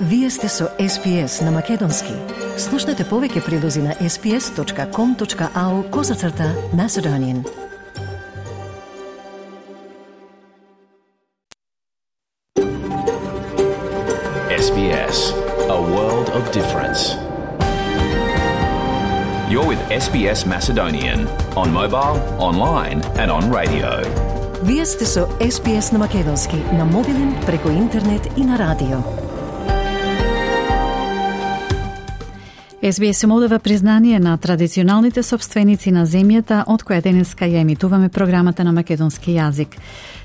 Вие сте со SPS на Македонски. Слушнете повеќе прилози на sps.com.au/Macedonian. SBS, a world of difference. You're with SBS Macedonian on mobile, online and on radio. Вие сте со SPS на Македонски на мобилен, преку интернет и на радио. SBS им одава признание на традиционалните собственици на земјата од која денеска ја емитуваме програмата на македонски јазик.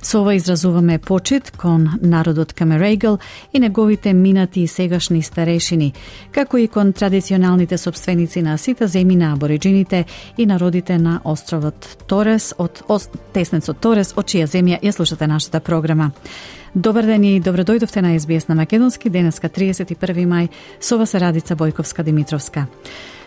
Со ова изразуваме почит кон народот Камерегл и неговите минати и сегашни старешини, како и кон традиционалните собственици на сите земји на абориджините и народите на островот Торес, теснецот Торес, од чија земја ја слушате нашата програма. Добар ден и добродојдовте на SBS на Македонски, денеска 31 мај, со вас е Радица Бојковска-Димитровска.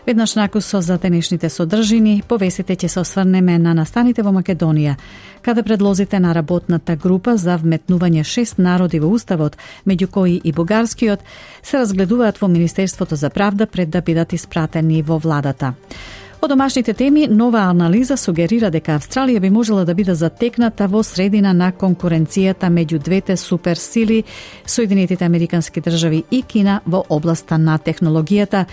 Веднаш накусо за денешните содржини, повесите ќе се осврнеме на настаните во Македонија, каде предлозите на работната група за вметнување 6 народи во Уставот, меѓу кои и бугарскиот, се разгледуваат во Министерството за правда пред да бидат испратени во владата. Од домашните теми, нова анализа сугерира дека Австралија би можела да биде затекната во средина на конкуренцијата меѓу двете суперсили, Соединетите Американски држави и Кина во областа на технологијата,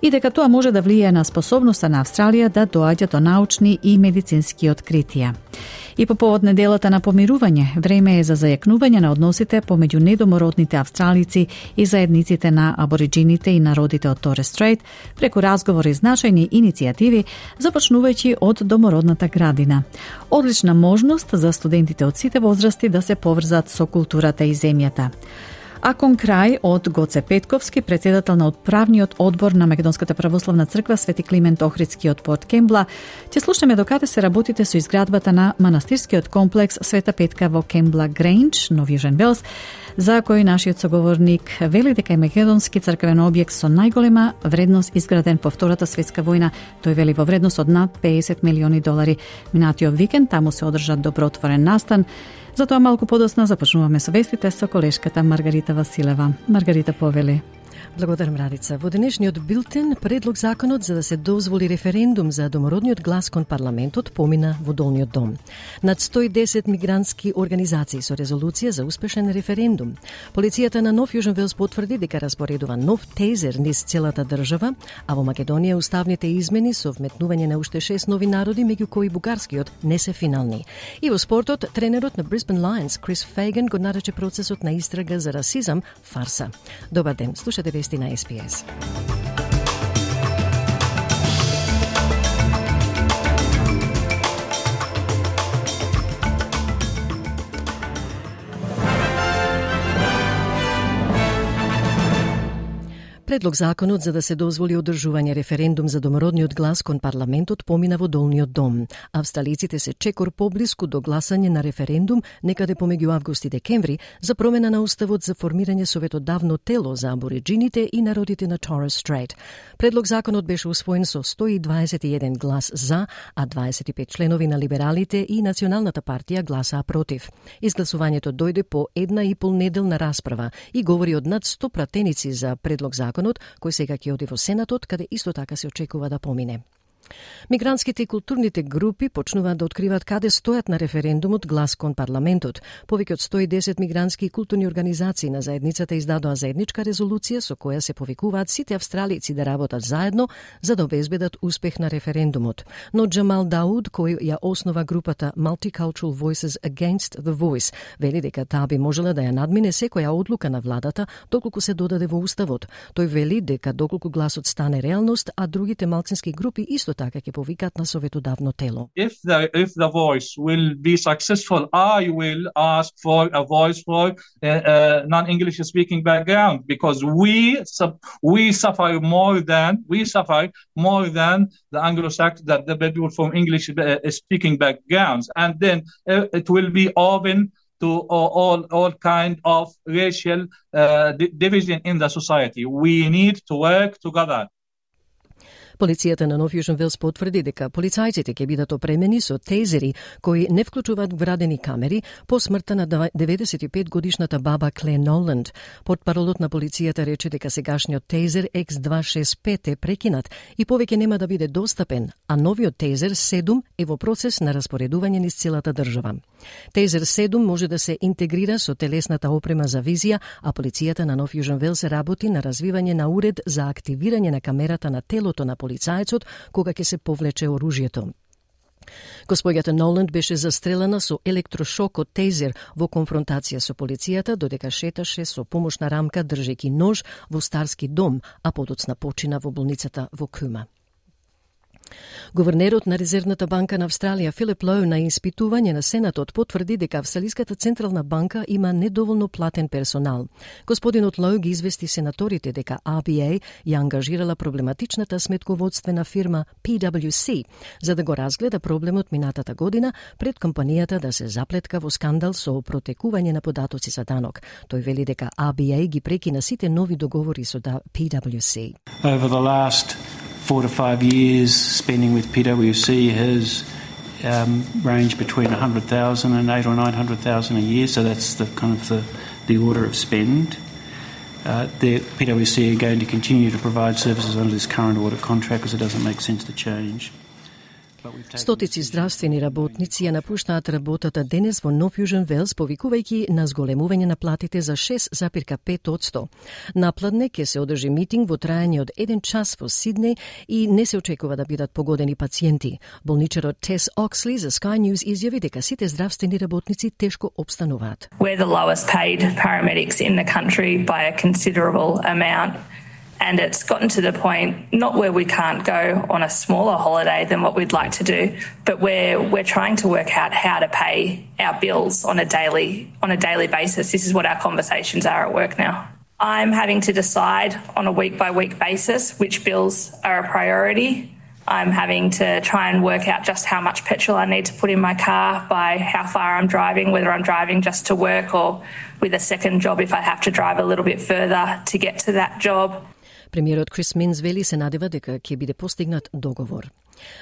и дека тоа може да влијае на способноста на Австралија да доаѓа до научни и медицински откритија. И по повод неделата на помирување, време е за зајакнување на односите помеѓу недомородните австралици и заедниците на абориджините и народите од Торес Стрейт преку разговори и значајни иницијативи, започнувајќи од домородната градина. Одлична можност за студентите од сите возрасти да се поврзат со културата и земјата. А кон крај од Гоце Петковски, председател на Отправниот одбор на Македонската православна црква Свети Климент Охридски од Порт Кембла, ќе слушаме докаде се работите со изградбата на манастирскиот комплекс Света Петка во Кембла Грейндж, Нов Јужен Велс, за кој нашиот соговорник вели дека е македонски црквен објект со најголема вредност изграден по Втората светска војна. Тој вели во вредност од над $50 милиони. Минатиот викенд таму се одржа добротворен настан. Затоа малку подоцна започнуваме со вестите со колешката Маргарита Василева. Маргарита, повели. Благодарам, Радица. Во денешниот билтен, предлог законот за да се дозволи референдум за домородниот глас кон парламентот помина во долниот дом. Над 110 мигрантски организации со резолуција за успешен референдум. Полицијата на Нов Јужен Велс потврди дека распоредува нов тезер низ целата држава, а во Македонија уставните измени со вметнување на уште 6 нови народи, меѓу кои бугарскиот, не се финални. И во спортот, тренерот на Brisbane Lions, Крис Фейган, го нарече процесот на истрага за расизам фарса. Добар ден, слушате вести на SPS. Предлог законот за да се дозволи одржување референдум за домородниот глас кон парламентот помина во долниот дом. Австралиците се чекор поблиску до гласање на референдум некаде помеѓу август и декември за промена на уставот за формирање советодавно тело за абориджините и народите на Торес Стрейт. Предлог законот беше усвоен со 121 глас за, а 25 членови на либералите и Националната партија гласаа против. Изгласувањето дојде по 1,5 неделна расправа и говори од над 100 пратеници за предлог законот, кој сега ќе оди во Сенатот, каде исто така се очекува да помине. Мигрантските и културните групи почнуваат да откриваат каде стојат на референдумот глас кон парламентот. Повеќе од 110 мигрантски и културни организации на заедницата издадоа заедничка резолуција со која се повикуваат сите австралици да работат заедно за да обезбедат успех на референдумот. Но Джамал Дауд, кој ја основа групата Multicultural Voices Against the Voice, вели дека таа би можела да ја надмине секоја одлука на владата доколку се додаде во уставот. Тој вели дека доколку гласот стане реалност, а другите малцински групи исто така ќе повикат на советодавно тело. If the voice will be successful, I will ask for a voice for non-English speaking background, because we suffer more than the Anglo-Saxon, the people from English speaking backgrounds, and then it will be open to all kind of racial division in the society. We need to work together. Полицијата на Нов Јужен Велс потврди дека полицајците ќе бидат опремени со тейзери кои не вклучуваат вградени камери по смртта на 95-годишната баба Кле Ноланд. Портпаролот на полицијата рече дека сегашниот тейзер X265 е прекинат и повеќе нема да биде достапен, а новиот тейзер 7 е во процес на распоредување низ целата држава. Тейзер 7 може да се интегрира со телесната опрема за визија, а полицијата на Нов Јужен Велс работи на развивање на уред за активирање на камерата на телото на полицајецот кога ќе се повлече оружјето. Господјата Ноланд беше застрелена со електрошок од тейзер во конфронтација со полицијата додека шеташе со помошна рамка држејќи нож во старски дом, а подоцна почина во болницата во Кума. Гувернерот на Резервната банка на Австралија Филип Лоу на испитување на Сенатот потврди дека Австралиската централна банка има недоволно платен персонал. Господинот Лоу ги извести сенаторите дека RBA ја ангажирала проблематичната сметководствена фирма PwC за да го разгледа проблемот минатата година пред компанијата да се заплетка во скандал со протекување на податоци за данок. Тој вели дека RBA ги прекина сите нови договори со PwC. Over the last 4 to 5 years, spending with PwC has ranged between 100,000 and 800,000 or 900,000 a year. So that's the kind of the order of spend. The PwC are going to continue to provide services under this current audit contract because it doesn't make sense to change. Стотици здравствени работници ја напуштаат работата денес во Нов Јужен Велс, повикувајќи на зголемување на платите за 6,5%. Напладне ќе се одржи митинг во трајање од 1 час во Сиднеј и не се очекува да бидат погодени пациенти. Болничарот Тес Оксли за Sky News изјави дека сите здравствени работници тешко обстануваат. We're the lowest paid paramedics in the country by a considerable amount. And it's gotten to the point, not where we can't go on a smaller holiday than what we'd like to do, but we're trying to work out how to pay our bills on a daily basis. This is what our conversations are at work now. I'm having to decide on a week-by-week basis which bills are a priority. I'm having to try and work out just how much petrol I need to put in my car by how far I'm driving, whether I'm driving just to work or with a second job if I have to drive a little bit further to get to that job. Премиерот Крис Минс вели се надева дека ќе биде постигнат договор.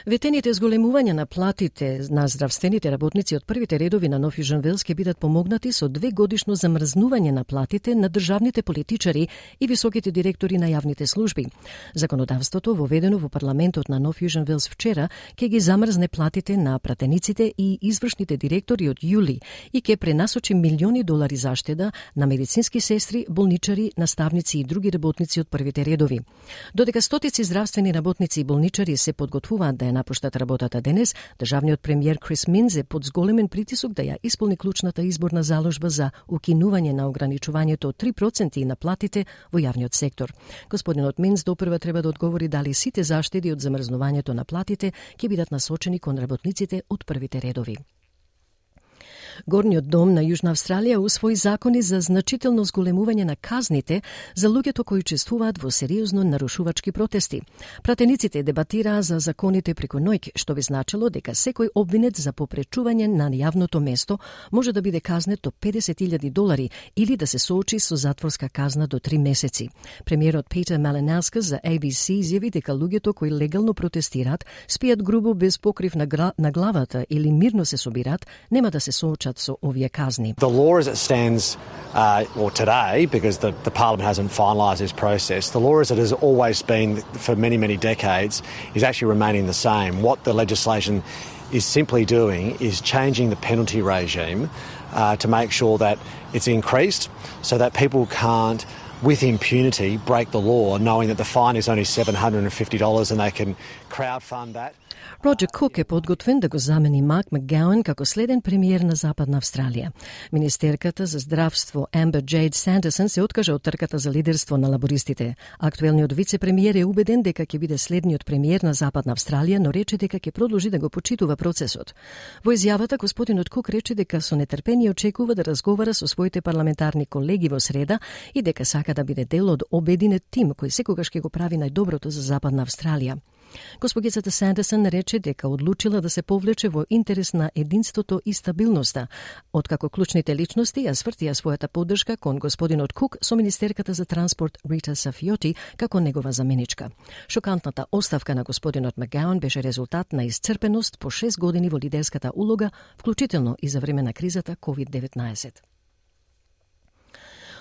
Ветените зголемувања на платите на здравствените работници од првите редови на Нов Јужен Велс ќе бидат помогнати со 2-годишно замрзнување на платите на државните политичари и високите директори на јавните служби. Законодавството, воведено во парламентот на Нов Јужен Велс вчера, ќе ги замрзне платите на пратениците и извршните директори од јули и ќе пренасочи милиони долари заштеда на медицински сестри, болничари, наставници и други работници од првите редови. Додека стотици здравствени работници и болничари се подготвуваат да ја напуштат работата денес, државниот премиер Крис Минс е под зголемен притисок да ја исполни клучната изборна заложба за укинување на ограничувањето од 3% на платите во јавниот сектор. Господинот Минс допрва треба да одговори дали сите заштеди од замрзнувањето на платите ќе бидат насочени кон работниците од првите редови. Горниот дом на Јужна Австралија усвои закони за значително зголемување на казните за луѓето кои учествуваат во сериозно нарушувачки протести. Пратениците дебатираа за законите преку ноќ, што би значило дека секој обвинет за попречување на јавното место може да биде казнет до $50,000 или да се соочи со затворска казна до 3 месеци. Премиерот Питер Малинаускас за ABC изјави дека луѓето кои легално протестираат, спијат грубо без покрив на главата или мирно се собираат, нема да се соочат со овие казни. The law as it stands, or today, because the Parliament hasn't finalised this process, the law as it has always been for many, many decades is actually remaining the same. What the legislation is simply doing is changing the penalty regime to make sure that it's increased so that people can't, with impunity, break the law, knowing that the fine is only $750 and they can crowdfund that. Роджер Кук е подготвен да го замени Марк Макгауан како следен премиер на Западна Австралија. Министерката за здравство Амбер Джейд Сандерсон се откажа од трката за лидерство на лабористите. Актуелниот вице-премиер е убеден дека ќе биде следниот премиер на Западна Австралија, но рече дека ќе продолжи да го почитува процесот. Во изјавата, господинот Кук рече дека со нетрпение очекува да разговара со своите парламентарни колеги во среда и дека сака да биде дел од обединет тим кој секогаш ќе го прави најдоброто за Западна Австралија. Госпогицата Сандерсон рече дека одлучила да се повлече во интерес на единството и стабилноста, откако клучните личности ја свртија својата поддршка кон господинот Кук со министерката за транспорт Рита Сафиоти како негова заменичка. Шокантната оставка на господинот Макгауан беше резултат на исцрпеност по 6 години во лидерската улога, вклучително и за време на кризата COVID-19.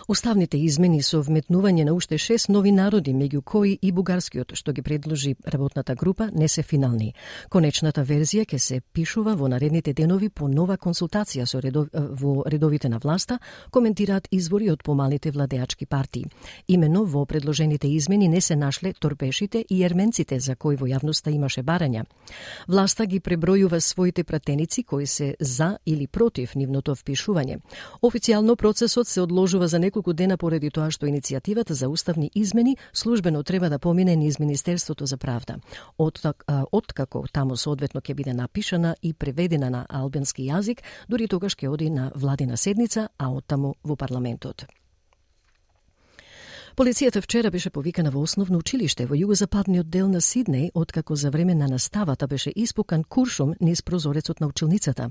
Уставните измени со вметнување на уште 6 нови народи, меѓу кои и бугарскиот, што ги предложи работната група, не се финални. Конечната верзија ќе се пишува во наредните денови по нова консултација со во редовите на власта, коментираат извори од помалите владеачки партии. Имено во предложените измени не се нашле торпешите и ерменците за кои во јавноста имаше барања. Власта ги пребројува своите пратеници кои се за или против нивното впишување. Официјално процесот се одложува за неколку дена поради тоа што иницијативата за уставни измени службено треба да помине низ Министерството за правда. Откако таму соодветно ќе биде напишана и преведена на албански јазик, дури тогаш ќе оди на владина седница, а оттаму во парламентот. Полицијата вчера беше повикана во основно училиште во југозападниот дел на Сиднеј, откако за време на наставата беше испукан куршум низ прозорецот на училницата.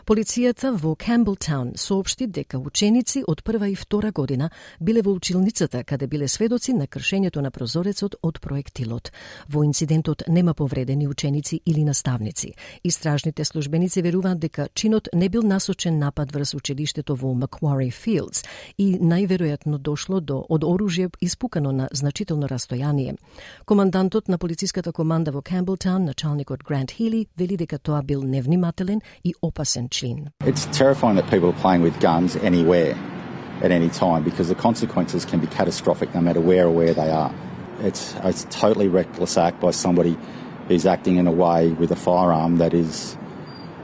Полицијата во Камбелтаун соопшти дека ученици од прва и втора година биле во училницата каде биле сведоци на кршењето на прозорецот од проектилот. Во инцидентот нема повредени ученици или наставници. Истражните службеници веруваат дека чинот не бил насочен напад врз училиштето во Macquarie Fields и најверојатно дошло од оружје испукано на значително растојание. Командантот на полициската команда во Камбелтаун, началникот Грант Хили, вели дека тоа бил невнимателен и опасен чин. It's terrifying that people are playing with guns anywhere at any time because the consequences can be catastrophic no matter where they are. It's a totally reckless act by somebody who's acting in a way with a firearm that is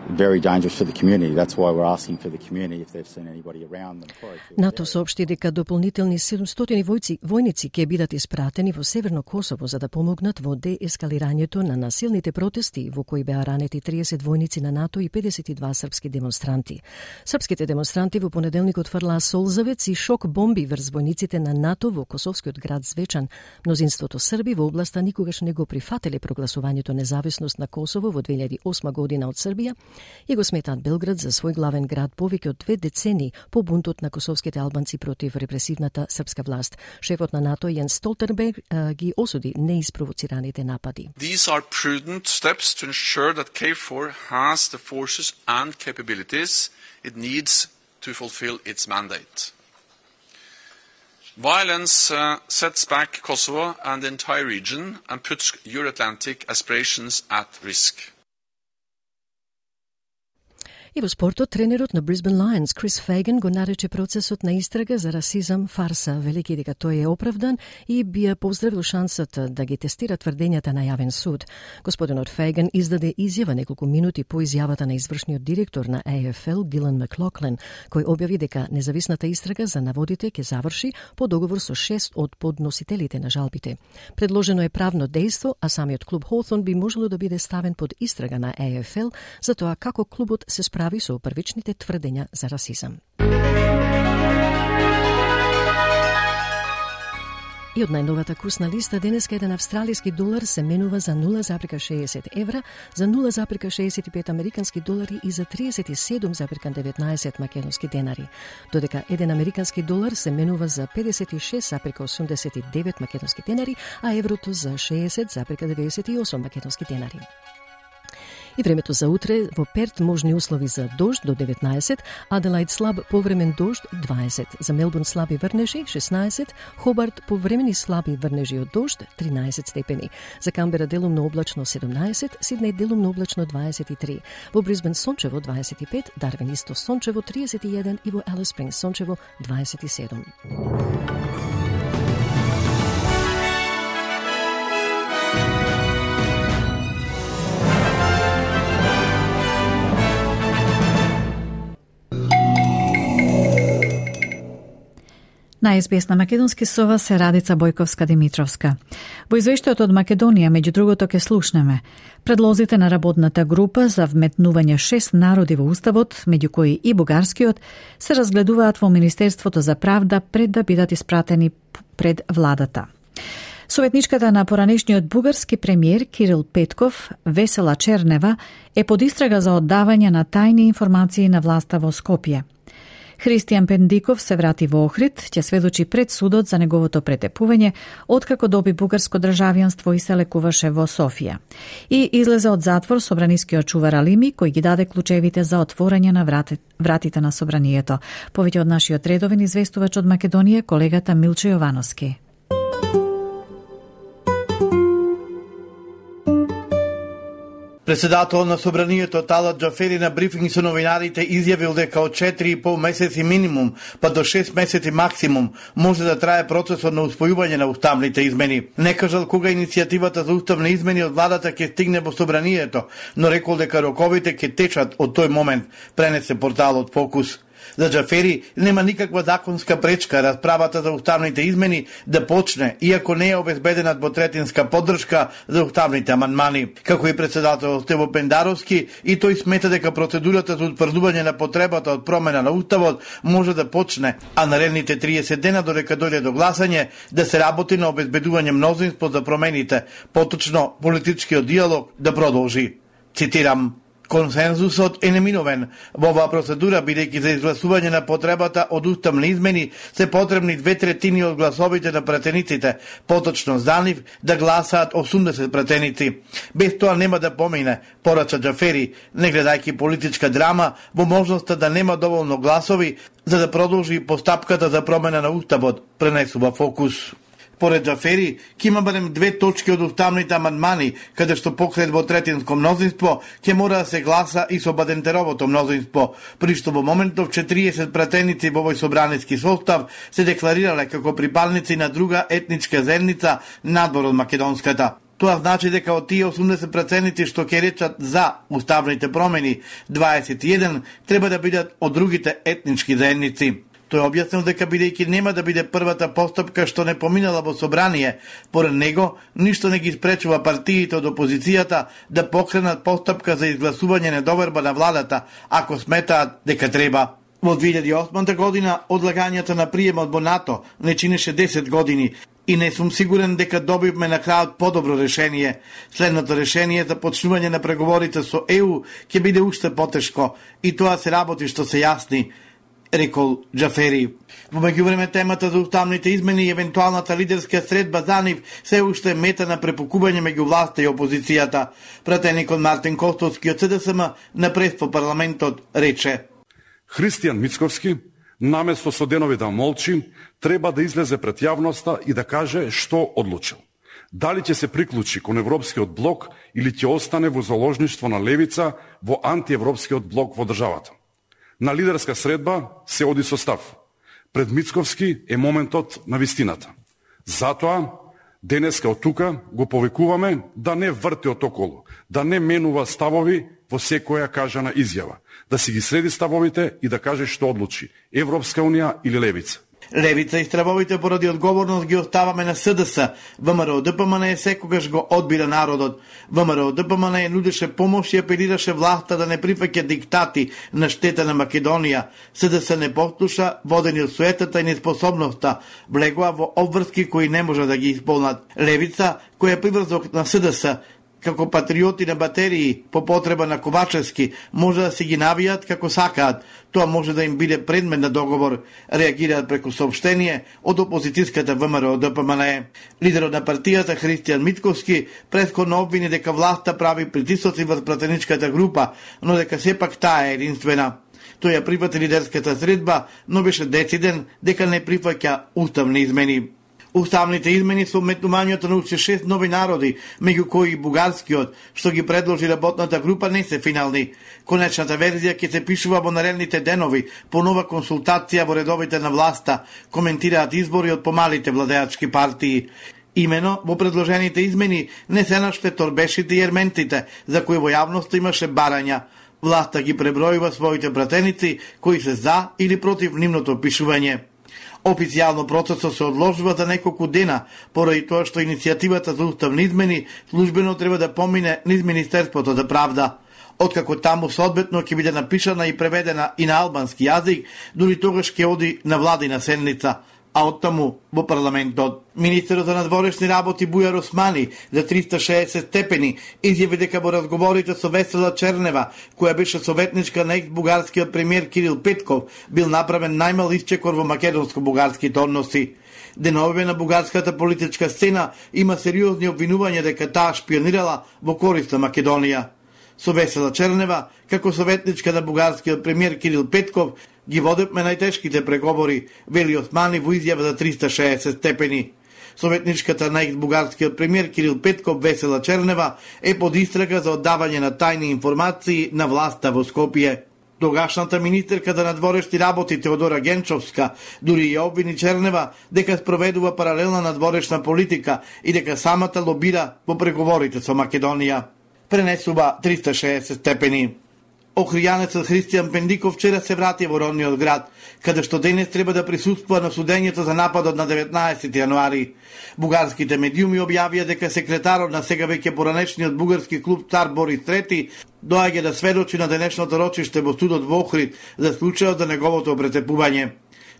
very dangerous for the community. That's why we're asking for the community if they've seen anybody around them. НАТО соопшти дека дополнителни 700 војници ќе бидат испратени во Северно Косово за да помогнат во деескалирањето на насилните протести во кои беа ранети 30 војници на НАТО и 52 српски демонстранти. Српските демонстранти во понеделникот фрлаа солзавец и шок бомби врз војниците на НАТО во косовскиот град Звечан. Мнозинството срби во областа никогаш не го прифатиле прогласувањето независност на Косово во 2008 година од Србија и го сметаат Белград за свој главен град повеќе од 2 децении по бунтот на косовските албанци против репресивната српска власт. Шефот на НАТО Јенс Столтенберг ги осуди неиспровоцираните напади. These are prudent steps to ensure that KFOR has the forces and capabilities it needs to fulfill its mandate. Violence sets back Kosovo and the entire region and puts Euro-Atlantic aspirations at risk. И во спортот, тренерот на Brisbane Lions, Крис Фейган, го нарече процесот на истрага за расизам фарса, велики дека тој е оправдан и би ја поздравил шансата да ги тестира тврдењата на јавен суд. Господинот Фейган издаде изјава неколку минути по изјавата на извршниот директор на AFL, Дилан Маклоклен, кој објави дека независната истрага за наводите ќе заврши по договор со 6 од подносителите на жалбите. Предложено е правно дејство, а самиот клуб Hawthorn би можело да биде ставен под истрага на AFL за тоа како клубот се справи со првичните тврдења за расизам. И од најновата курсна листа денеска еден австралиски долар се менува за 0,60 евра, за 0,65 американски долари и за 37,19 македонски денари, додека еден американски долар се менува за 56,89 македонски денари, а еврото за 60,98 македонски денари. И времето за утре: во Перт можни услови за дожд до 19, Аделаид слаб повремен дожд 20, за Мелбурн слаби врнежи 16, Хобарт повремени слаби врнежи од дожд 13 степени, за Камбера делумно облачно 17, Сиднеј делумно облачно 23, во Брисбен сончево 25, Дарвин исто сончево 31 и во Алис Спрингс сончево 27. На СБС на македонски со вас се Радица Бојковска-Димитровска. Во извештајот од Македонија, меѓу другото, ќе слушнеме предлозите на работната група за вметнување 6 народи во Уставот, меѓу кои и бугарскиот, се разгледуваат во Министерството за правда пред да бидат испратени пред владата. Советничката на поранешниот бугарски премиер Кирил Петков, Весела Чернева, е под истрага за оддавање на тајни информации на власта во Скопје. Христијан Пендиков се врати во Охрид, ќе сведочи пред судот за неговото претепување, откако доби бугарско државјанство и се лекуваше во Софија. И излезе од затвор собранискиот чувар Алими, кој ги даде клучевите за отворање на вратите на собранието. Повеќе од нашиот редовен известувач од Македонија, колегата Милче Јовановски. Председател на собранието Талат Джафери на брифинг со новинарите изјавил дека од 4,5 месеци минимум, па до 6 месеци максимум може да трае процесот на успојување на уставните измени. Не кажал кога иницијативата за уставни измени од владата ќе стигне во собранието, но рекол дека роковите ќе течат од тој момент, пренесе порталот Фокус. За Джафери нема никаква законска пречка расправата за уставните измени да почне, иако не е обезбедена двотретинска поддршка за уставните амандмани. Како и председател Стево Пендаровски, и тој смета дека процедурата за утврдување на потребата од промена на уставот може да почне, а наредните 30 дена додека дојде до гласање да се работи на обезбедување мнозинство за промените, поточно политичкиот диалог да продолжи. Цитирам: консензусот е неминовен во оваа процедура, бидејќи за изгласување на потребата од уставни измени се потребни 2/3 од гласовите на пратениците, поточно за нив да гласаат 80 пратеници. Без тоа нема да помине, порача Джафери, не гледајќи политичка драма во можноста да нема доволно гласови за да продолжи постапката за промена на уставот, пренесува Фокус. Поред Джафери, ќе има барем 2 точки од уставните амандмани, каде што покрај двотретинско мнозинство ќе мора да се гласа и со Бадентеровото мнозинство, при што во моментов 40 пратеници во овој собраниски состав се декларирале како припадници на друга етничка заедница надвор од македонската. Тоа значи дека од тие 80 пратеници што ќе речат за уставните промени, 21 треба да бидат од другите етнички заедници. Тој објаснил дека бидејќи нема да биде првата постапка што не поминала во собрание, поред него ништо не ги спречува партиите од опозицијата да покренат постапка за изгласување недоверба на владата, ако сметаат дека треба. Во 2008 година одлагањето на приемот во НАТО не чинеше 10 години и не сум сигурен дека добивме на крајот подобро решение. Следното решение за почнување на преговорите со ЕУ ќе биде уште потешко и тоа се работи што се јасни, рекол Джафери. Во меѓувреме темата за уставните измени и евентуалната лидерска средба за нив се уште мета на препукување меѓу власта и опозицијата. Пратеникот Мартин Костовски од СДСМ на прес по парламентот рече: Христијан Мицковски, наместо со денови да молчи, треба да излезе пред јавноста и да каже што одлучил. Дали ќе се приклучи кон Европскиот блок или ќе остане во заложништво на левица во антиевропскиот блок во државата. На лидерска средба се оди со став. Пред Мицковски е моментот на вистината. Затоа, денеска од тука го повикуваме да не врти од околу, да не менува ставови во секоја кажана изјава, да си ги среди ставовите и да каже што одлучи, Европска унија или левица. Левица и стравовите поради одговорност ги оставаме на СДС. ВМРО ДПМН секогаш го одбира народот. ВМРО ДПМН нудеше помош и апелираше власта да не прифаќа диктати на штета на Македонија. СДС не послуша, водени од суетата и неспособноста, влегоа во обврски кои не може да ги исполнат. Левица, која е приврзок на СДС, како патриоти на батерии по потреба на Ковачевски, може да си ги навијат како сакаат. Тоа може да им биде предмет на договор, реагираат преку соопштение од опозицијската ВМРО ДПМН. Лидерот на партијата Христијан Мицковски претходно обвини дека власта прави притисоци врз пратеничката група, но дека сепак таа е единствена. Тој ја прифати лидерската средба, но беше дециден дека не прифаќа уставни измени. Уставните измени со вметнувањето на уште 6 нови народи, меѓу кои и бугарскиот, што ги предложи работната група, не се финални. Конечната верзија ќе се пишува во наредните денови, по нова консултација во редовите на власта, коментираат избори од помалите владеачки партии. Имено, во предложените измени не се наште торбешите и ерментите, за кои во јавноста имаше барања. Власта ги пребројува своите пратеници, кои се за или против нивното пишување. Официјално процесот се одложува за неколку дена, поради тоа што иницијативата за уставни измени службено треба да помине низ Министерството за правда. Откако таму соодветно ќе биде напишана и преведена и на албански јазик, дури тогаш ќе оди на владина седница. а оттаму во парламентот. Министерот за надворешни работи Бујар Османи за 360 степени изјави дека во разговорите со Весела Чернева, која беше советничка на екс-бугарскиот премиер Кирил Петков, бил направен најмал исчекор во македонско-бугарските односи. Деновиве на бугарската политичка сцена има сериозни обвинувања дека таа шпионирала во корист на Македонија. Со Весела Чернева, како советничка на бугарскиот премиер Кирил Петков, ги водевме најтешките преговори, вели Османи во изјава за 360 степени. Советничката на екс-бугарскиот премиер Кирил Петков Весела Чернева е под истрага за оддавање на тајни информации на власта во Скопје. Тогашната министерка за надворешни работи Теодора Генчовска дури ја обвини Чернева дека спроведува паралелна надворешна политика и дека самата лобира во преговорите со Македонија. Пренесува 360 степени. Охријанецот Христијан Пендиков вчера се врати во родниот град, каде што денес треба да присуствува на судењето за нападот на 19 јануари. Бугарските медиуми објавија дека секретарот на сега веќе поранешниот бугарски клуб Цар Борис III доаѓа да сведочи на денешното рочиште во судот во Охрид за случајот за неговото претепување.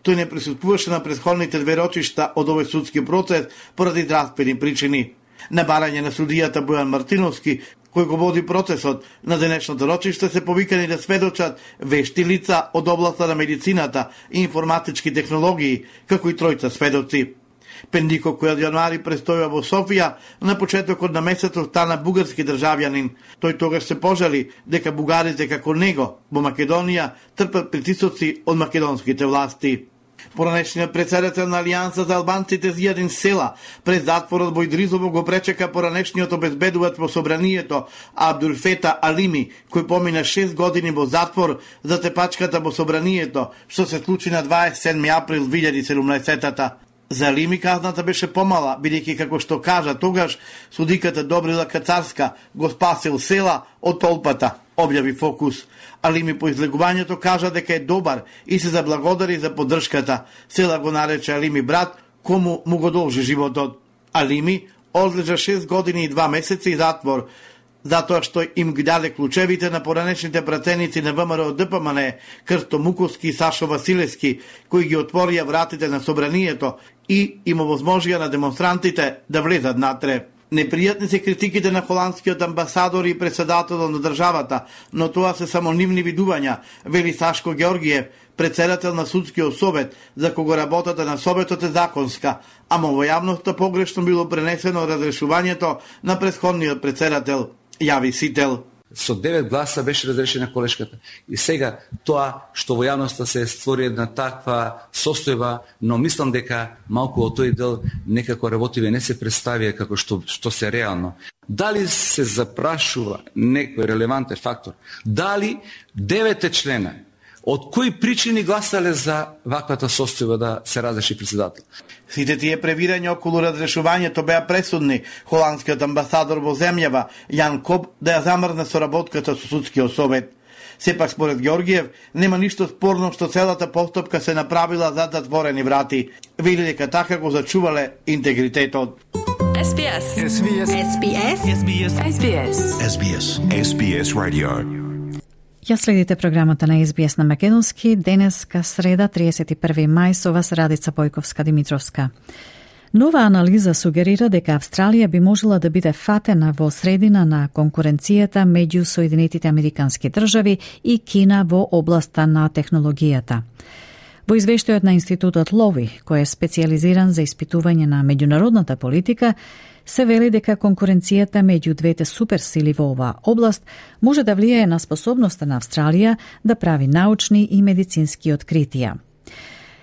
Тој не присуствуваше на претходните две рочишта од овој судски процес поради здравствени причини. На барање на судијата Бојан Мартиновски, кој го води процесот, на денешното рочиште се повикани да сведочат вешти лица од областа на медицината и информатички технологии, како и тројца сведоци. Пендиков, кој од јануари престојува во Софија, на почетокот на месецот стана бугарски државјанин. Тој тогаш се пожали дека бугарите како него во Македонија трпат притисоци од македонските власти. Поранешниот председател на Алијанса за албанците Зијадин Села пред затворот во Идризово го пречека поранешниот обезбедувач во собранието Абдулфета Алими, кој помина 6 години во затвор за тепачката во собранието, што се случи на 27 април 2017-та. За Алими казната беше помала, бидејќи како што кажа тогаш, судиката Добрила Кацарска го спасил Села од толпата, објави Фокус. Алими по излегувањето кажа дека е добар и се заблагодари за поддршката. Села го нарече Алими брат, кому му го должи животот. Алими одлежа 6 години и 2 месеци затвор, затоа што им ги даде клучевите на поранешните пратеници на ВМРО ДПМН, Крсто Муковски и Сашо Василевски, кои ги отворија вратите на собранието и им овозможија на демонстрантите да влезат натре. Непријатни се критиките на холандскиот амбасадор и председателот на државата, но тоа се само нивни видувања, вели Сашко Георгиев, председател на судскиот совет, за кого работата на советот е законска, ама во јавноста погрешно било пренесено разрешувањето на претходниот председател, јави Сител. Со 9 гласа беше разрешена колешката. И сега тоа што во јавноста се створи една таква состојба, но мислам дека малку од тој дел некако работиве не се представија како што се реално. Дали се запрашува некој релевантен фактор? Дали 9 члена од кои причини гласале за ваквата состојба да се разреши председател? Сите тие превирања околу разрешувањето беа пресудни. Холандскиот амбасадор во земјава, Јан Коб, да ја замрзне соработката со судскиот совет. Сепак, според Георгиев, нема ништо спорно што целата постапка се направила зад затворени врати. Вели дека така го зачувале интегритетот. SBS. SBS. SBS. SBS. SBS. SBS. SBS Radio. Ја следите програмата на SBS на македонски, денеска среда 31 мај со вас Радица Бојковска-Димитровска. Нова анализа сугерира дека Австралија би можела да биде фатена во средина на конкуренцијата меѓу Соединетите Американски држави и Кина во областа на технологијата. Во извештајот на Институтот Лови, кој е специјализиран за испитување на меѓународната политика, се вели дека конкуренцијата меѓу двете суперсили во оваа област може да влијае на способноста на Австралија да прави научни и медицински откритија.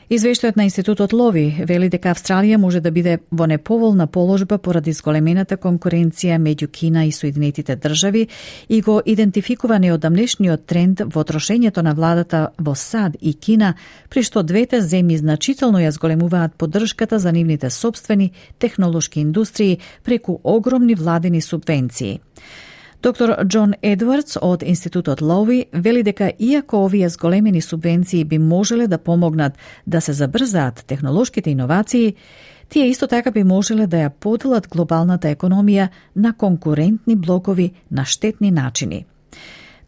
Извештајот на Институтот Лови вели дека Австралија може да биде во неповолна положба поради зголемената конкуренција меѓу Кина и Соединетите држави и го идентификува неодамнешниот тренд во трошењето на владата во САД и Кина, при што двете земји значително ја зголемуваат поддршката за нивните сопствени технолошки индустрии преку огромни владени субвенции. Доктор Џон Едвардс од Институтот Лови вели дека иако овие зголемени субвенции би можеле да помогнат да се забрзаат технолошките иновации, тие исто така би можеле да ја поделат глобалната економија на конкурентни блокови на штетни начини.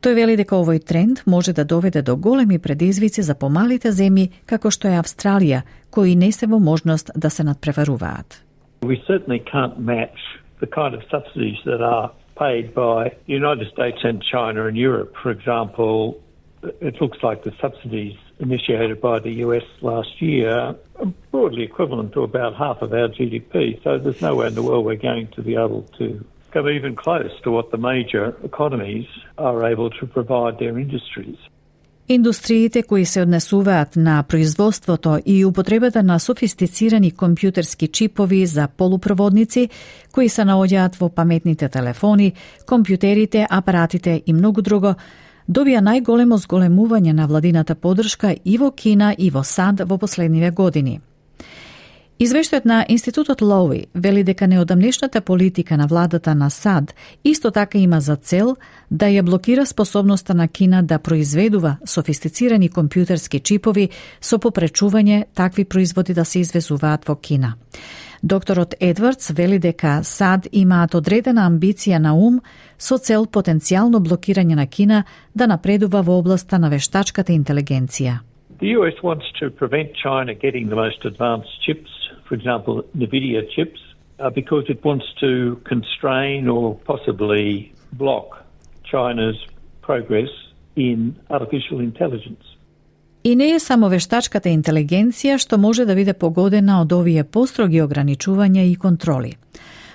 Тој вели дека овој тренд може да доведе до големи предизвици за помалите земји како што е Австралија, кои не се во можност да се надпреваруваат. We certainly can't match the kind of subsidies that are paid by the United States and China and Europe. For example, it looks like the subsidies initiated by the US last year are broadly equivalent to about half of our GDP. So there's no way in the world we're going to be able to come even close to what the major economies are able to provide their industries. Индустриите кои се однесуваат на производството и употребата на софистицирани компјутерски чипови за полупроводници кои се наоѓаат во паметните телефони, компјутерите, апаратите и многу друго, добија најголемо зголемување на владината поддршка и во Кина и во САД во последниве години. Извештајот на Институтот Лоуи вели дека неодамнешната политика на владата на САД исто така има за цел да ја блокира способноста на Кина да произведува софистицирани компјутерски чипови со попречување такви производи да се извезуваат во Кина. Докторот Едвардс вели дека САД имаат одредена амбиција на ум со цел потенцијално блокирање на Кина да напредува во областа на вештачката интелигенција. The US wants to prevent China getting the most advanced chips, for example, NVIDIA chips, because it wants to constrain or possibly block China's progress in artificial intelligence. И не е само вештачката интелигенција што може да биде погодена од овие построги ограничувања и контроли.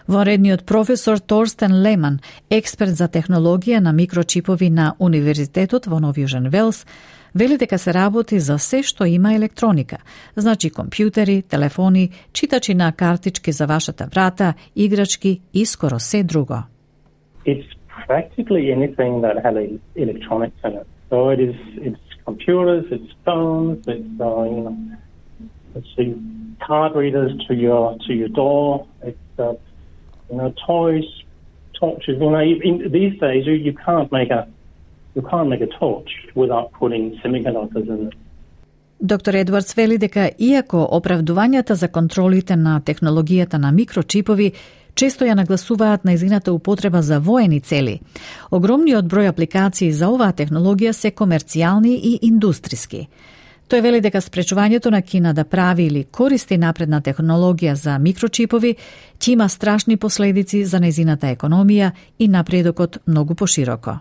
Воредниот професор Торстен Леман, експерт за технологија на микрочипови на Универзитетот во Нов Јужен Велс, вели дека се работи за се што има електроника, значи компјутери, телефони, читачи на картички за вашата врата, играчки и скоро се друго. It's practically anything that has electronics in it. So it's computers, it's phones, it's the card readers to your door, it's toys, torches. These days you can't make a torch without putting semiconductors in it. Доктор Едвардс вели дека иако оправдувањата за контролите на технологијата на микрочипови често ја нагласуваат на нејзината употреба за воени цели, огромниот број апликации за оваа технологија се комерцијални и индустриски. Тој вели дека спречувањето на Кина да прави или користи напредна технологија за микрочипови ќе има страшни последици за нејзината економија и напредокот многу пошироко.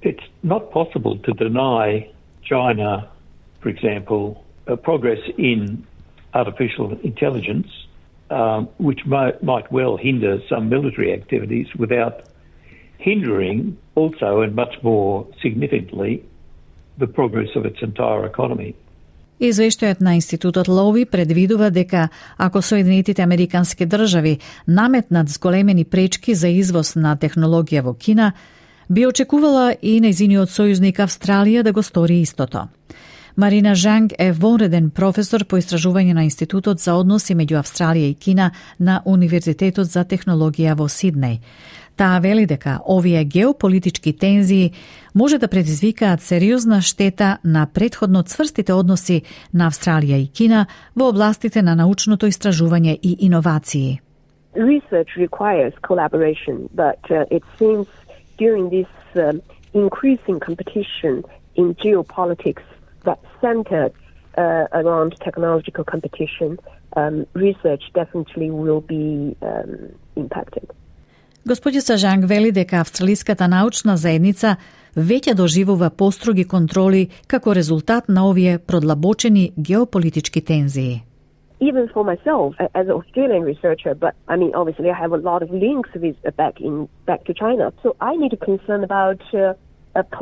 It's not possible to deny China, for example, progress in artificial intelligence, which might well hinder some military activities without hindering also and much more significantly the progress of its entire economy. Извештајот на Институтот Лоуи предвидува дека ако Соединетите Американски држави наметнат зголемени пречки за извоз на технологија во Кина, би очекувала и нејзиниот сојузник Австралија да го стори истото. Марина Жанг е вонреден професор по истражување на Институтот за односи меѓу Австралија и Кина на Универзитетот за технологија во Сиднеј. Таа вели дека овие геополитички тензии може да предизвикаат сериозна штета на претходно цврстите односи на Австралија и Кина во областите на научното истражување и иновации. Research requires collaboration, but it seems during this increasing competition in geopolitics that centered around technological competition, research definitely will be impacted. Господица Жанг вели дека австралиската научна заедница веќе доживува построги контроли како резултат на овие продлабочени геополитички тензии. Even for myself, as an Australian researcher, but I mean, obviously, I have a lot of links with back to China, so I need to concern about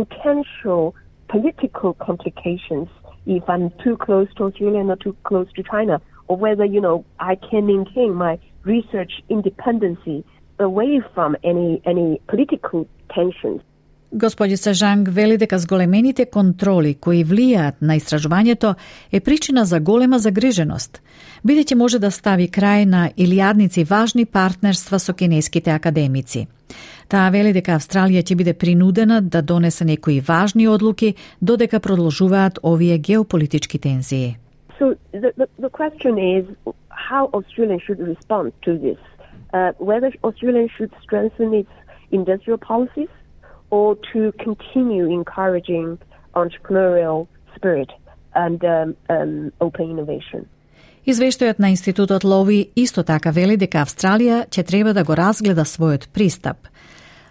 potential political complications if I'm too close to Australia or too close to China, or whether I can maintain my research independency away from any political tensions. Господица Жанг вели дека зголемените контроли кои влијаат на истражувањето е причина за голема загриженост, бидејќи може да стави крај на илјадници важни партнерства со кинеските академици. Таа вели дека Австралија ќе биде принудена да донесе некои важни одлуки додека продолжуваат овие геополитички тензии. So the question is how Australia should respond to this. Whether Australia should strengthen its industrial policies or to continue encouraging entrepreneurial spirit and open innovation. Извештајот на Институтот Лови исто така вели дека Австралија ќе треба да го разгледа својот пристап.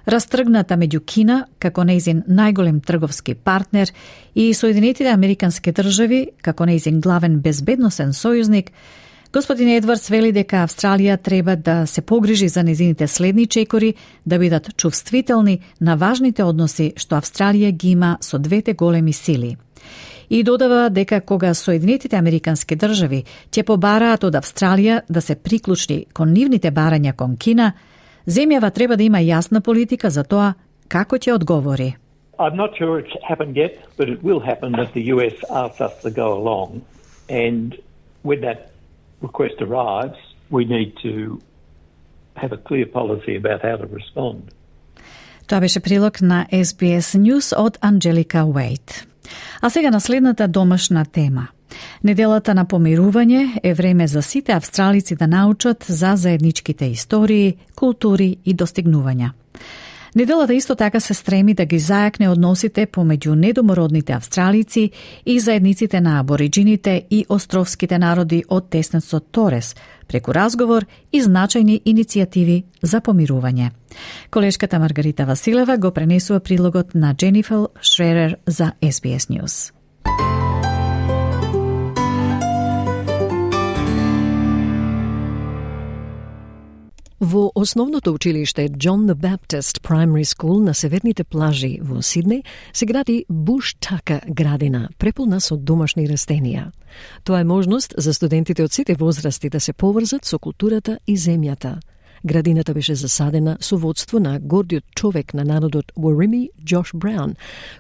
Растргната меѓу Кина, како нејзин најголем трговски партнер, и Соединетите Американски држави, како нејзин главен безбедносен сојузник, господин Едвардс вели дека Австралија треба да се погрижи за незините следни чекори, да бидат чувствителни на важните односи што Австралија ги има со двете големи сили. И додава дека кога Соединетите Американски држави ќе побараат од Австралија да се приклучи кон нивните барања кон Кина, земјава треба да има јасна политика за тоа како ќе одговори. I'm not sure it's happened yet, but it will happen that the US asks us to go along, and when that request arrives, we need to have a clear policy about how to respond. Тоа беше прилог на SBS News од Анджелика Уейт. А сега на следната домашна тема. Неделата на помирување е време за сите австралици да научат за заедничките истории, култури и достигнувања. Неделата исто така се стреми да ги зајакне односите помеѓу недомородните австралици и заедниците на абориджините и островските народи од теснецот Торес, преку разговор и значајни иницијативи за помирување. Колешката Маргарита Василева го пренесува прилогот на Дженифер Шререр за SBS News. Во основното училиште John the Baptist Primary School на северните плажи во Сиднеј се гради Bush Tucker градина, преполна со домашни растенија. Тоа е можност за студентите од сите возрасти да се поврзат со културата и земјата. Градината беше засадена со водство на гордиот човек на народот Warimi, Josh Brown,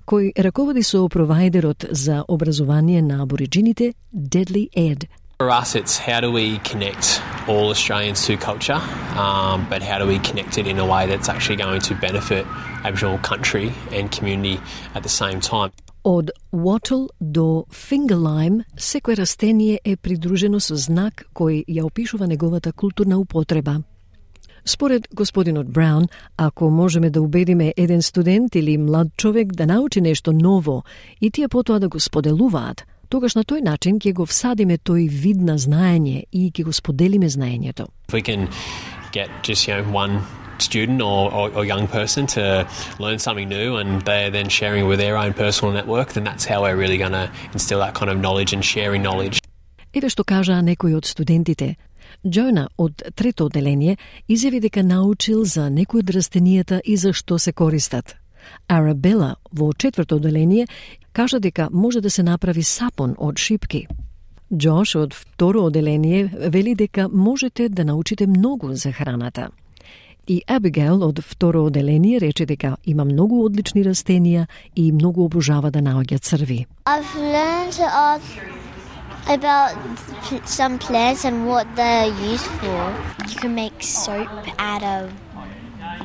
кој раководи со провајдерот за образование на абориджините Deadly Ed. For us, it's how do we connect all Australians to culture, but how do we connect it in a way that's actually going to benefit Aboriginal country and community at the same time. Од wattle до fingerlime, секој растение е придружено со знак кој ја опишува неговата културна употреба. Според господинот Браун, ако можеме да убедиме еден студент или млад човек да научи нешто ново и тие потоа да го споделуваат, тогаш на тој начин ќе го всадиме тој вид на знаење и ќе го споделиме знаењето. If we can get just one student or young person to learn something new and they're then sharing with their own personal network, then that's how we're really going to instill that kind of knowledge and sharing knowledge. Еве што кажа некој од студентите. Джона од трето оделение изјави дека научил за некои од растенијата и за што се користат. Арабела во четврто оделение кажа дека може да се направи сапон од шипки. Джош од второ оделение вели дека можете да научите многу за храната. И Абигейл од второ оделение рече дека има многу одлични растенија и многу обожава да наоѓа црви. I've learned about some plants and what they're used for. You can make soap out of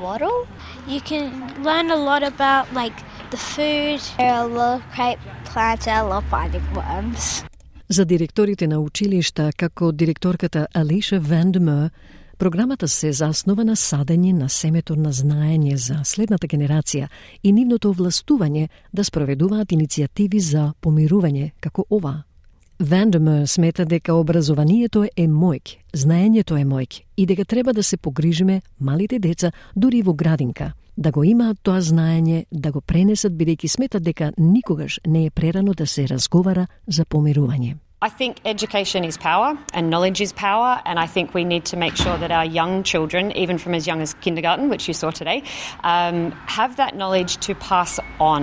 wattle. You can learn a lot about the food. There are a lot of great plants. I love finding worms. За директорите на училишта, како директорката Алиша Вандемер, програмата се заснова на садење на семето на знаење за следната генерација и нивното овластување да спроведуваат иницијативи за помирување како ова. Вандемер смета дека образованието е мојк, знаењето е мојк и дека треба да се погрижиме малите деца дури во градинка, да го имаат тоа знаење, да го пренесат бидејќи сметат дека никогаш не е прерано да се разговара за помирување. I think education is power and knowledge is power, and I think we need to make sure that our young children, even from as young as kindergarten, which you saw today, have that knowledge to pass on.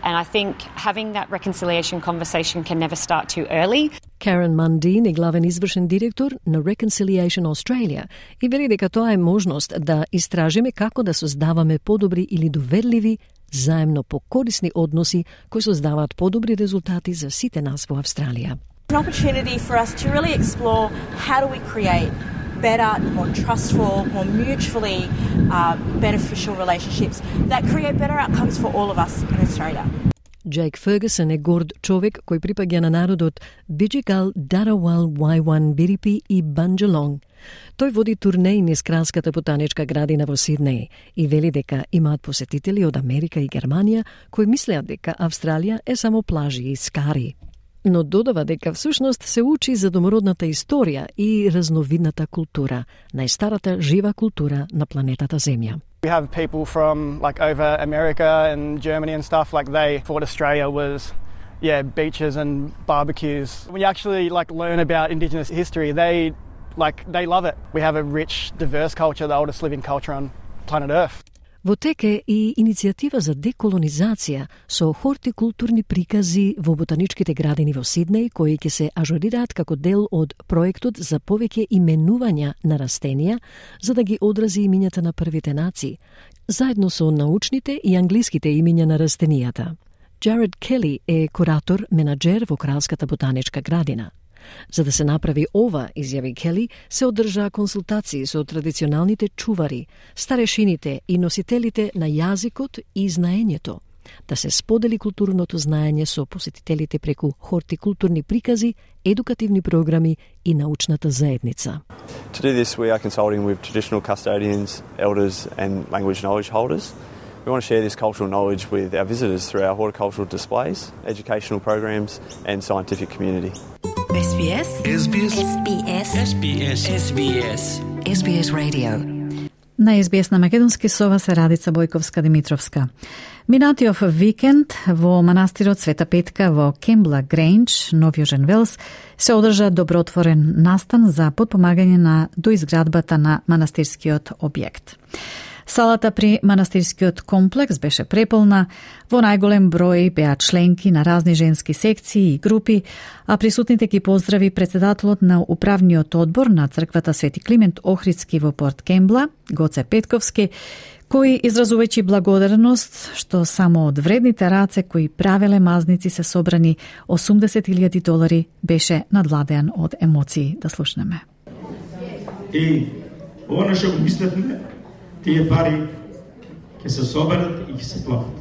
And I think having that reconciliation conversation can never start too early. Karen Mundine е главен извршен директор на Reconciliation Australia и вели дека тоа е можност да истражиме како да создаваме подобри или доверливи, заемно покорисни односи кои создаваат подобри резултати за сите нас во Австралија. An opportunity for us to really explore how do we create better, more trustful, more mutually beneficial relationships that create better outcomes for all of us in Australia. Джейк Фергюсон е горд човек кој припаѓа на народот Биджигал, Даравал, Вајван, Бирипи и Банджалонг. Тој води турнеи низ Кралската ботаничка градина во Сиднеј и вели дека имаат посетители од Америка и Германија кои мислеат дека Австралија е само плажи и скари. Но додава дека всушност се учи за домородната историја и разновидната култура, најстарата жива култура на планетата Земја. We have people from like over America and Germany and stuff, like they thought Australia was beaches and barbecues. When you actually like learn about Indigenous history, they love it. We have a rich, diverse culture, the oldest living culture on planet Earth. Во тек е и иницијатива за деколонизација со хортикултурни прикази во ботаничките градини во Сиднеј, кои ќе се ажурираат како дел од проектот за повеќе именувања на растенија, за да ги одрази имињата на првите нации, заедно со научните и англиските имиња на растенијата. Джаред Кели е куратор, менаџер во Кралската ботаничка градина. За да се направи ова, изјави Кели, се одржаа консултации со традиционалните чувари, старешините и носителите на јазикот и знаењето, да се сподели културното знаење со посетителите преку хортикултурни прикази, едукативни програми и научната заедница. To do this, we are consulting with traditional custodians, elders and language knowledge holders. We want to share this cultural knowledge with our visitors through our horticultural displays, educational programs and scientific community. SBS SBS SBS SBS SBS SBS Radio. На SBS на македонски со вас е Радица Бојковска-Димитровска. Минатиов викенд во манастирот Света Петка во Кембла Грейндж, Нов Јужен Велс, се одржа добротворен настан за подпомагање на доизградбата на манастирскиот објект. Салата при манастирскиот комплекс беше преполна, во најголем број беа членки на разни женски секции и групи, а присутните ги поздрави председателот на управниот одбор на црквата Свети Климент Охридски во Порт Кембла, Гоце Петковски, кој изразувајќи благодарност што само од вредните раце кои правеле мазници се собрани $80,000 беше надвладеан од емоции. Да слушнеме. И ова што го мислевме, тие пари ќе се соберат и ќе се платат.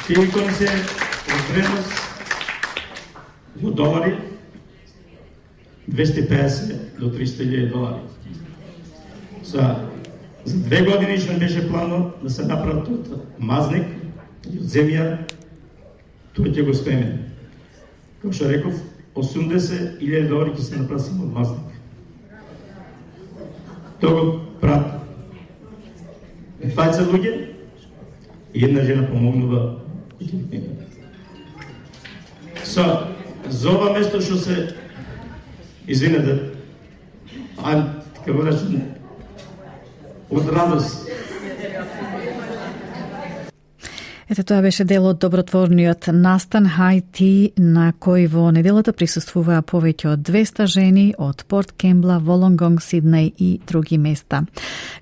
Тие икони се од вредност во долари $250 до $300,000. За 2 години што беше плано да се направат од мазник и од земја, тоа ќе го успееме. Како што реков, $80,000 ќе се направат само од мазник. Тоа го прат 20 луѓе и една жена помогнува. За ова место што се извинете, така го речем, од радост. Ете, тоа беше дел од добротворниот настан Хајти, на кој во неделата присуствуваа повеќе од 200 жени од Порт Кембла, Волонгонг, Сиднеј и други места.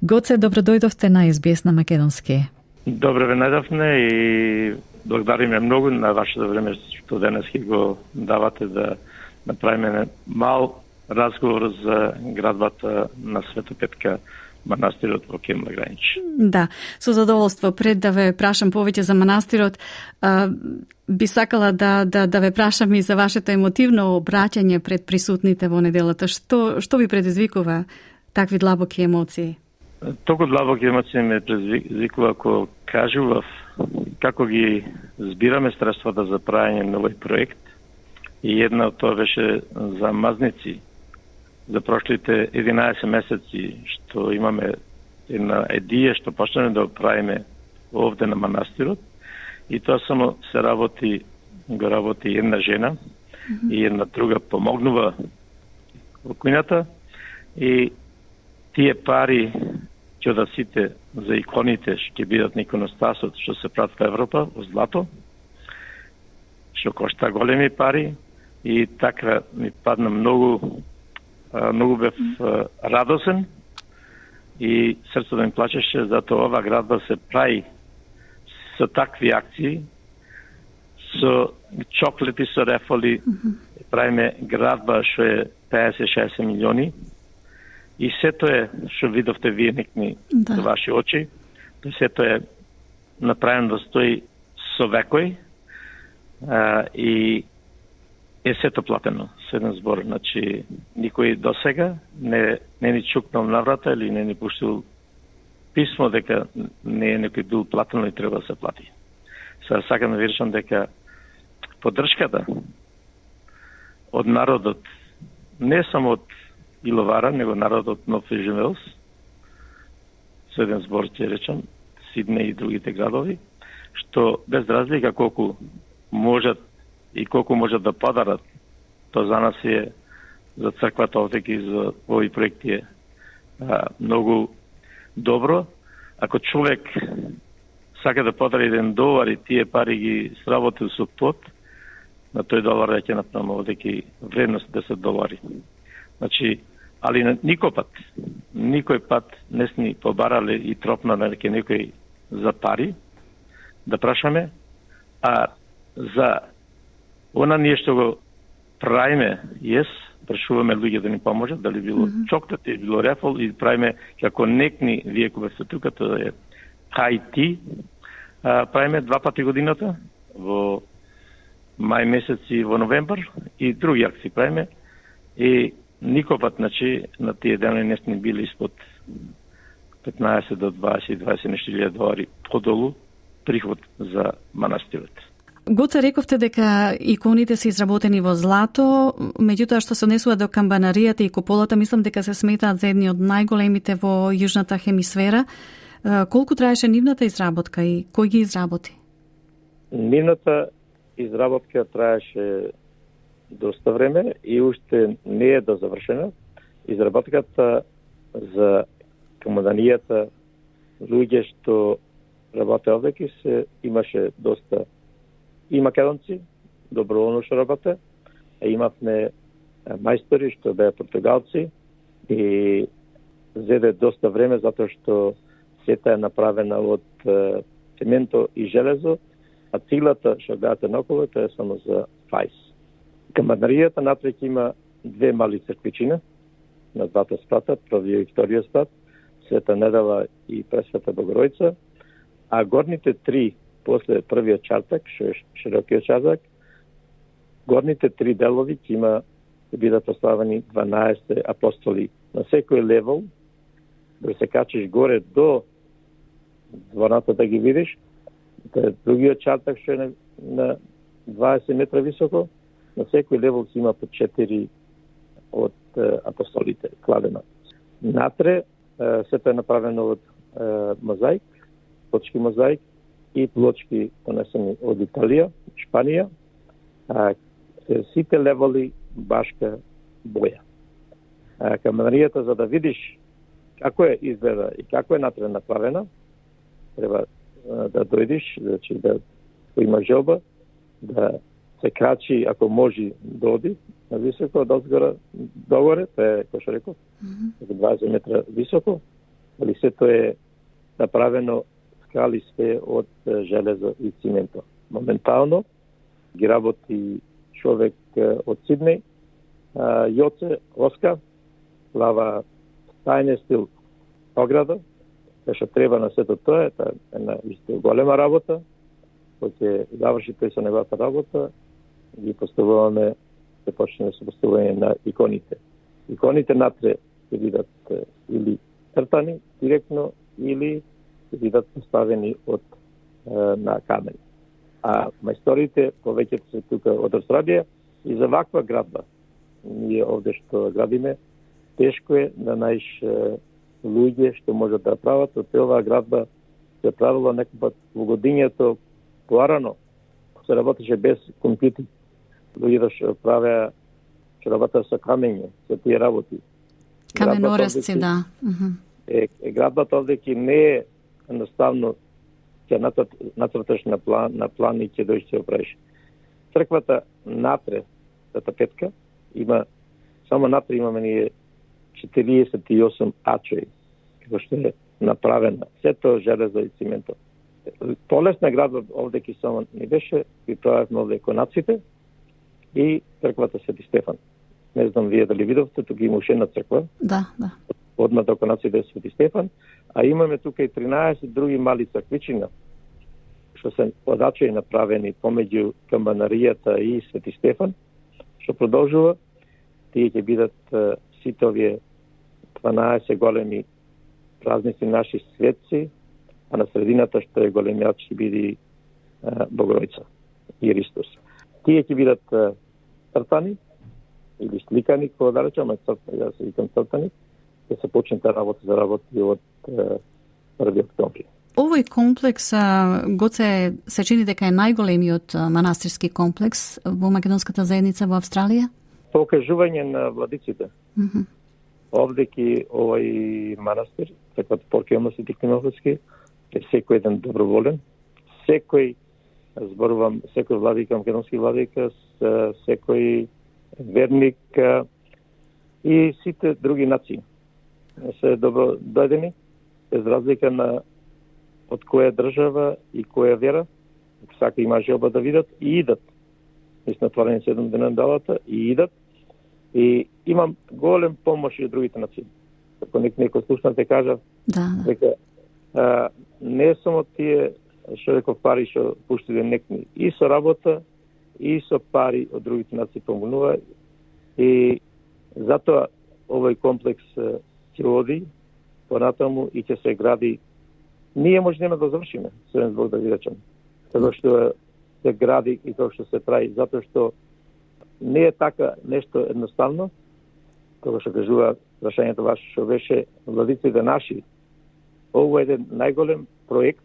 Гоце, добро дојдовте на SBS на македонски. Добро ве најдовме и благодариме многу на вашето време што денес ќе го давате да направиме мал разговор за градбата на Света Петка, манастирот во Кембла Грейндж. Да, со задоволство. Пред да ве прашам повеќе за манастирот, би сакала да ве прашам и за вашето емотивно обраќање пред присутните во неделата. Што ви предизвикува такви длабоки емоции? Толку длабоки емоции ме предизвикува кога кажував како ги збираме средствата за правење на овој проект. И една од тоа беше за мазници. За прошлите 11 месеци што имаме една идеја што почнеме да правиме овде на манастирот, и тоа само се го работи една жена и една друга помогнува во кујната, и тие пари ќе да сите за иконите што ќе бидат на иконостасот што се прават во Европа во злато, што кошта големи пари, и така ми падна многу бев радосен и срцето ми плачеше, затоа ова градба се прави со такви акции, со чоклети, со рефоли, правиме градба што е 50-60 милиони, и сето е што видовте вие некни за ваши очи, сето е направено да стои со векој и е сето платено, со еден збор. Значи, никој досега не ни чукнал на врата или не ни пуштил писмо дека не е некој бил платено и треба да се плати. Сега сакам да ви речам дека поддршката од народот, не само од Иловара, него народот Нов Ежемелс, со еден збор ќе речам, Сиднеј и другите градови, што без разлика колку можат и колку можат да подарат, тоа за нас е, за црквата овдеки, за овој проекти е многу добро. Ако човек сака да подари $1 и тие пари ги сработил со плот, на тој долар ќе направиме овдеки вредност $10. Значи, али никој пат не сни побарале и тропна на некој за пари, да прашаме, а за она ние што го правиме, прашуваме луѓе да ни поможат, дали било чоклет, или било рефол, и правиме како некни, вие кога сте тука, тоа е Хаити, правиме 2 пати годината, во мај месец и во новембар, и други акции правиме, и никој пат, значи, на тие дени не сме били испод 15 до 20 нешто $1,000 подолу приход за манастирот. Гоце, рековте дека иконите се изработени во злато, меѓутоа што се однесува до камбанаријата и куполата, мислам дека се сметаат за едни од најголемите во јужната хемисфера. Колку траеше нивната изработка и кој ги изработи? Нивната изработка траеше доста време и уште не е дозавршена. Изработката за камбанаријата, луѓе што работеа овдеки, имаше доста и македонци, доброволно што работе, а имавме мајстори што беа португалци и зеде доста време затоа што сета е направена од цементо и железо, а циглата што беате наоколу тоа е само за фајс. Камбанаријата натреќ има 2 мали црквичина на 2 спрата, првиот и вториот спрат, Света Недела и Пресвета Богородица, а горните 3 после првиот чартак, што е широкиот чартак, горните 3 делови ќе бидат поставени 12 апостоли. На секој левел, да се качиш горе до дворната да ги видиш, другиот чартак што е на 20 метра високо, на секој левел ќе има по 4 од апостолите кладена. Натре сето е направено од мозаик, плочки мозаик и плочки понесени од Италија, Шпанија, сите левели башка боја. Камбанаријата, за да видиш како е изгледа и како е натре направена, треба да дојдиш, значи да има желба, да се крачи, ако може да оди на високо, од озгора догоре, тоа е, кој што реков, 20 метра високо, али сето е направено скали све од железо и цименто. Моментално ги работи човек од Сиднеј, Јоце Оскар, лава тајне стил ограда, што треба на сето тоа, е една исто голема работа, кој ќе заврши тој со неговата работа, ги поставуваме, се почне со поставување на иконите. Иконите натре ќе бидат или цртани директно, или ќе бидат поставени на камен. А мајсторите, повеќето се тука од Австралија, и за ваква градба, ние овде што градиме, тешко е да најдеш луѓе што можат да прават. Од оваа градба се правила некој во годињето порано, се работеше без компјутери. Луѓето што правеа, што работеа со камење, со тие работи. Каменорезци, да. Градбата овдеки не е едноставно ќе нацрташ на план и ќе дојдеш ќе оправиш. Црквата натре, Света Петка, има, само натре имаме ние 48 ачои, како што е направена. Сето железо и цименто. Полесна градба овдеки само не беше, и правевме овде конаците и црквата Свети Стефан. Не знам вие дали видовте, тука има уште една црква. Да. Одма до конаците е Свети Стефан, а имаме тука и 13 други мали црквичина, што се одачаи направени помеѓу Камбанаријата и Свети Стефан, што продолжува. Тие ќе бидат сите овие 12 големи празници наши светци, а на средината што е големиот ќе биде Богородица и Христос. Тие ќе бидат цртани или сликани, кога да речам, ја се викам цртани, ќе се почне работа за работи од 1 октомври. Овој комплекс, Гоце, се чини дека е најголемиот манастирски комплекс во македонската заедница во Австралија? Покажување на владиците. Овдеки овој манастир, како Поркемла Свети Климовски, е секој еден доброволен, секој, зборувам, секој владика, македонски владика, секој верник и сите други нации се добро дојдени, без разлика на од која држава и која вера, сака има желба да видат и идат. Ми сме отворени 7 дена на далата и идат. И имам голем помош и од другите нации. Ако некој слушна те кажа, дека не само тие што реков пари што пуштиле некни, и со работа, и со пари од другите нации помогнува. И затоа овој комплекс ќе оди понатаму и ќе се гради. Ние може нема да завршиме, среден Бог да ви речем. Како што се гради и како што се прави, затоа што не е така нешто едноставно, кога што кажува прашањето ваше што беше владиците наши. Ово е еден најголем проект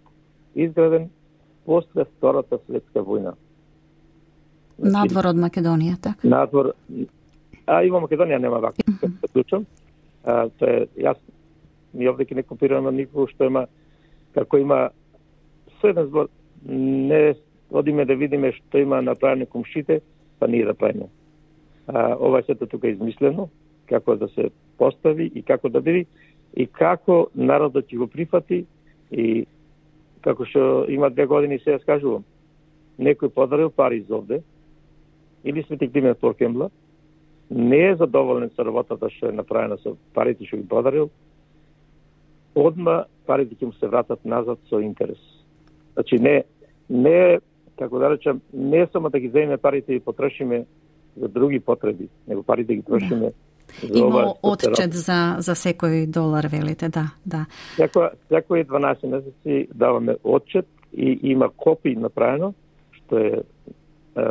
изграден после Втората светска војна. Надвор од Македонија, така? Надвор, и во Македонија нема вака, да клучам. Тоа е, јас ми овде не копирам никого што има, како има со еден збор, не одиме да видиме што има направено комшите, па ние да правиме. Ова сето тука е измислено, како да се постави и како да биде, и како народот ќе го прифати, и како што има 2 години се скажувам, некој подарил пари за овде, или Свети Климент Поркемла, не е задоволен со работата што е направена со парите што ги подарил, одма парите ќе му се вратат назад со интерес. Значи не како да речам, не само да ги земеме парите и потрошиме за други потреби, него парите ги трошиме за ова. Има отчет за секој долар, велите, да. Секој 12 месеци даваме отчет и има копи направено, што е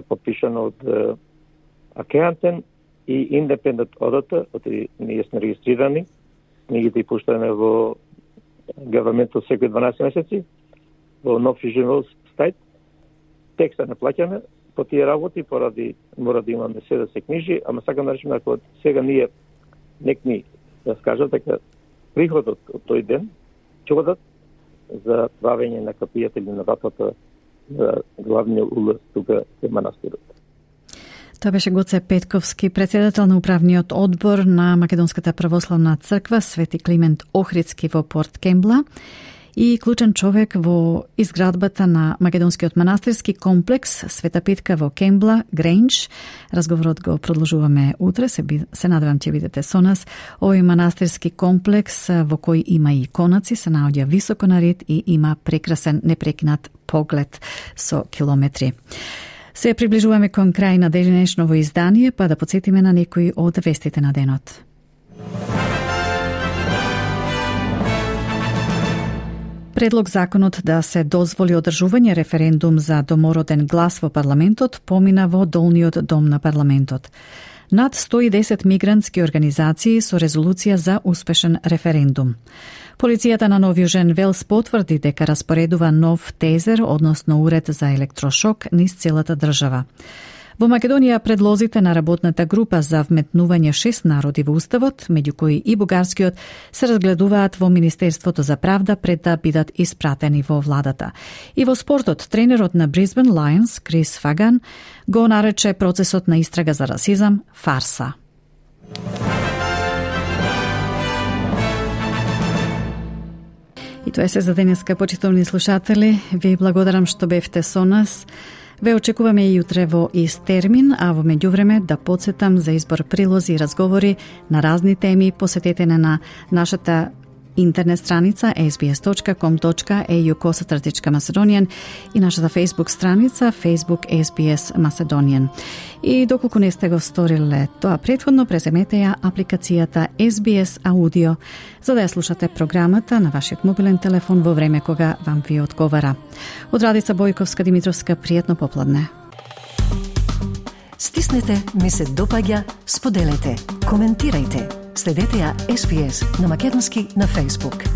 подпишано од Акеантен и Independent Auditor, ние сме регистрирани, ние ги пуштаме во government секој 12 месеци, во нов режим стајт, текста не плаќаме по тие работи, поради мора да имаме се да се книжи, ама сакам да речем, ако сега ние некни да скажат дека приходот од тој ден ќе одат за правење на капијата или на вратата за главниот улаз тука е манастирот. Тоа беше Гоце Петковски, председател на управниот одбор на Македонската православна црква Свети Климент Охридски во Порт Кембла и клучен човек во изградбата на Македонскиот манастирски комплекс Света Питка во Кембла, Грейндж. Разговорот го продолжуваме утре, се надевам ќе бидете со нас. Овој манастирски комплекс во кој има и иконаци се наоѓа високо на ред и има прекрасен непрекинат поглед со километри. Се приближуваме кон крај на денешново издание, па да подсетиме на некои од вестите на денот. Предлог законот да се дозволи одржување референдум за домороден глас во парламентот помина во долниот дом на парламентот. Над 110 мигрантски организации со резолуција за успешен референдум. Полицијата на Нов Јужен Велс потврди дека распоредува нов тезер, односно уред за електрошок, низ целата држава. Во Македонија предлозите на работната група за вметнување 6 народи во Уставот, меѓу кои и бугарскиот, се разгледуваат во Министерството за правда пред да бидат испратени во владата. И во спортот, тренерот на Brisbane Lions, Крис Фаган, го нарече процесот на истрага за расизам фарса. И тоа е се за денеска, почитувани слушатели. Ви благодарам што бевте со нас. Ве очекуваме и утре во ист термин, а во меѓувреме да подсетам за избор прилози и разговори на разни теми. Посетете на нашата интернет страница sbs.com.au/Macedonian и нашата Facebook страница Facebook SBS Macedonian. И доколку не сте го сториле тоа претходно, преземете ја апликацијата SBS Audio за да ја слушате програмата на вашиот мобилен телефон во време кога вам ви одговара. Од Радица Бојковска Димитровска, пријатно попладне. Стиснете, ми се допаѓа, споделете, коментирајте. Следете ја SBS на македонски на Facebook.